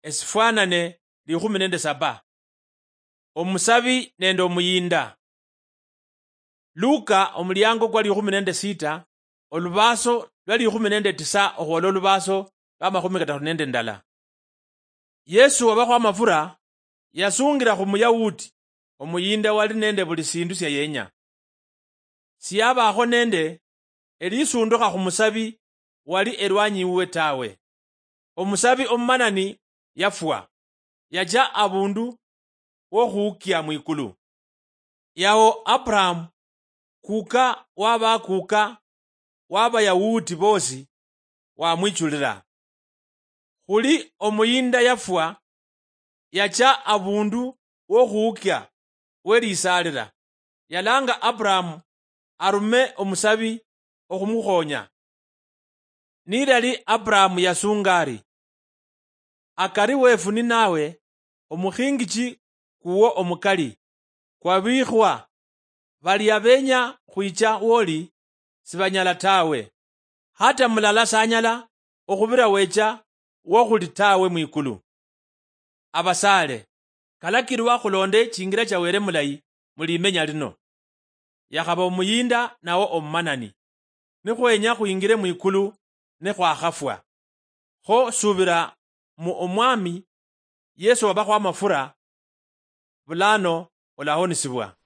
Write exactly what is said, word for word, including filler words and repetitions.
esifwanane likhumi nende saba. Omusabi nende omuyinda. Luka omuliango kwa likhumi nende sita, olubaso lwa likhumi nende tisa okhwola olubaso lwa makhumi kataru nende ndala. Yesu wabakhwa amafura yasungira khu Muyahudi omuyinda wali nende buli sindu sia yenya. Siyabaakho nende elisundukha khu musabi wali elwanyi wuwe tawe. Omusabi omumanani yafwa, yacha abundu wokhuukia mwikulu. Yao Abrahamu, kuka wa bakuka wa Bayahudi bosi, wamwichulila. Khuli omuyinda yafwa, yacha abundu wokhuukia welisaalila, yalanga Abrahamu arume omusabi okhumukhonya. Nilali Abrahamu yasunga ari, "Akari wefu ninawe omukhingichi kuwo omukali kwabikhwa, balia benya khwicha woli sibanyala tawe, hata mulala sanyala okhubira wecha wokhuli tawe mwikulu." Abasaale, kalakilwa khulonde chingira cha Wele mulayi mu limenya lino. Yakhaba omuyinda nawo omumanani, nikhwenya khwingire mwikulu nikhwakhafwa. Kho subira mu Omwami Yesu wabakhwa amafura, bulano olahonisibwa.